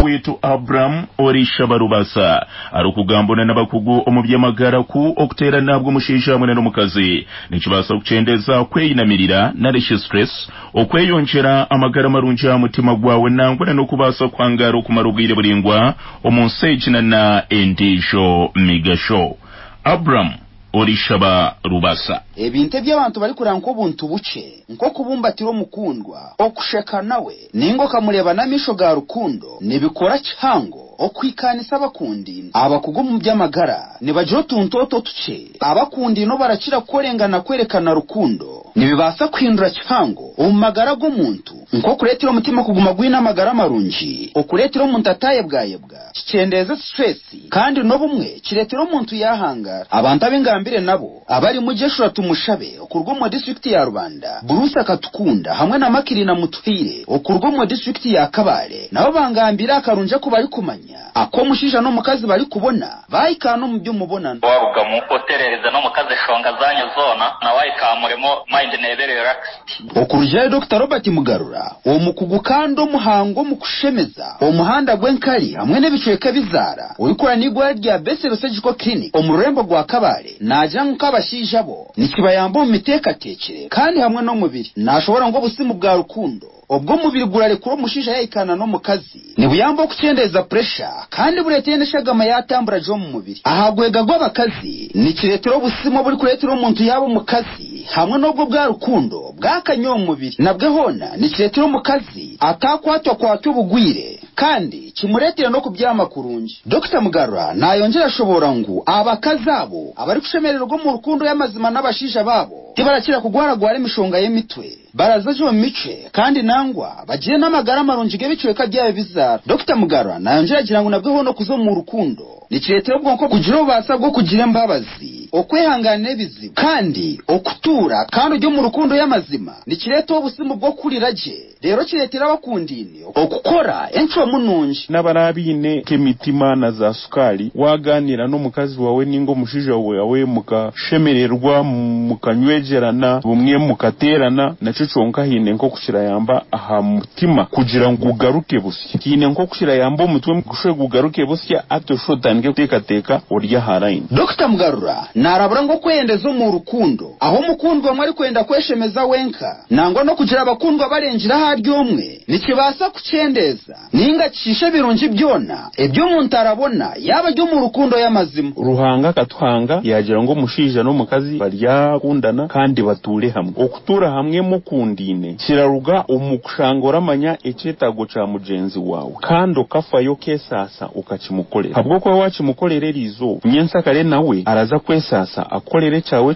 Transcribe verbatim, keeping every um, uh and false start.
Wetu Abraham Orishaba Rubasa arikugambana n'abakugu omu by'amagara ku okuteerana bw'omushaija hamwe n'omukazi nikibaasa kukyendeza kweyinamirira narishi stress, okweyongyera amagara marungi aha mutima gwawe, nangwa n'okubaasa kuhangara okumara obwire buraingwa omu nsi egi na endiijo migasho. Abraham Orishaba Rubasa. Ebintu eby'abantu barikuranga nk'obuntu bukye, nk'okubumbatira omukundwa, okusheka nawe, ninga okamureeba n'amaisho ga rukundo, nibikora kihango okuhikaanisa abakundine. Abakugu omu by'amagara nibagira otuntu otu otukye abakundine obarakira kukorengana kwerekana rukundo nibibaasa kuhindura kihango omu magara g'omuntu, nk'okureetera omutima kuguma gwine amagara marungi, okureetera omuntu atayebwayebwa, kikyendeeza stress, kandi n'obumwe kireetera omuntu yahangara. Abantu ab'engambire nabo abarimu Jeshura Tumushabe okuruga omu disitulikiti ya Rubanda, Bruce Akatukunda hamwe na Makirina Mutuhaire okuruga omu disitulikiti ya Kabale, nabo bangambire akarungi aku barikumanya ak'omushaija n'omukazi barikubona bahikaana omu by'omubonano. Warugamu oterereza n'omukazi eshonga zanyu zoona, nawe ahikamuremo mind neebe relaxed. Okurugira Doctor Robert Mugarura, omukugu kandi omuhango omu kushemeza omuhanda gw'enkari hamwe n'ebicweka ebizaara, orikora n'eirwariro rya Bethel Surgical Clinic omu rurembo rwa Kabale, naagira ngu nk'abashaija bo nikibayamba omu miteekateekyere kandi hamwe n'omubiri. Naashobora ngu obusimu bwa rukundo obw'omubiri gurarekura omushaija yahikaana n'omukazi nibuyamba okukyendeeza puresha kandi bureetera n'eshagama yatambura gye omu mubiri. Aha gwega gw'abakazi nikireetera obusimu oburikureetera omuntu yaaba omukazi hamwe n'obwo bwa rukundo bwakanya omu mubiri, nabwe hoona nikireetera omukazi atakwatwa kwatwa obugwire kandi kimureetera n'okubyama kurungi. Dokita Mugarura nayongyera ashobora ngu abakazi abo abarikushemererwa omu rukundo y'amazima n'abashaija baabo tibarakira kugwaragwara emishonga y'emitwe, barazaje omu micwe, kandi nangwa bagire n'amagara marungi g'ebicweka byabo bizaara. Dokita Mugarura nayongyera agira ngu nabwe hoona okuza omu rukundo nikireetera obwonko kugira obubaasa bw'okugira embabazi, okwehanganira ebizibu, kandi okutuura kandi ori omu rukundo y'amazima nikireeta obusimu bw'okuhurira gye, reero kireetera abakundine okukora encwamu nungi. N'abarabiine nk'emitima na za sukaari, waganira n'omukazi wawe ninga omushaija wawe mukashemererwa, mukanywegerana, bumwe mukateerana, nakyo kyonka haine nk'oku kirayamba aha mutima kugira ngu gugaruke busya. Haine nk'oku kirayamba omutwe gushwe gugaruke busya, ati oshwe otandike kuteekateeka ori aha line. Dokita Mugarura narabura ngu okweyendeza omu rukundo aho omukundwa omwe arikwenda kweshemeza wenka, nangwa n'okugira abakundwa barengira ahari omwe, nikibaasa kukyendeza ninga kishiisha ebirungi byona eby'omuntu arabona yaba ari omu rukundo y'amazima. Ruhanga akatuhanga yagira ngu omushaija n'omukazi baryakundana kandi batuure hamwe. Okutuura hamwe mukundine kiraruga omu kushanga oramanya ekyetaago kya mugyenzi wawe kandi okafayo okesaasa okakimukorera, habw'okuba wakimukorera eriizooba, nyensakare nawe araza kwesaasa akukorere ekyawe.